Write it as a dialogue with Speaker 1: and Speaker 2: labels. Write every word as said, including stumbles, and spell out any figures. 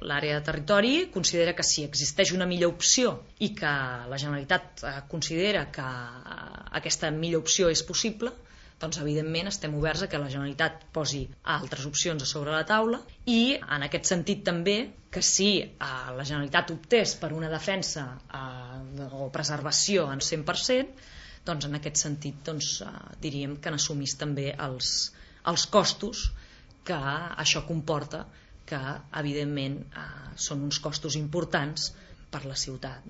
Speaker 1: L'àrea de territori considera que si existeix una millor opció i que la Generalitat considera que aquesta millor opció és possible, doncs evidentment estem oberts a que la Generalitat posi altres opcions a sobre la taula, i en aquest sentit també que si la Generalitat optés per una defensa o preservació en cent per cent, doncs en aquest sentit doncs, diríem que n'assumís també els, els costos que això comporta, que evidentment eh, són uns costos importants per la ciutat.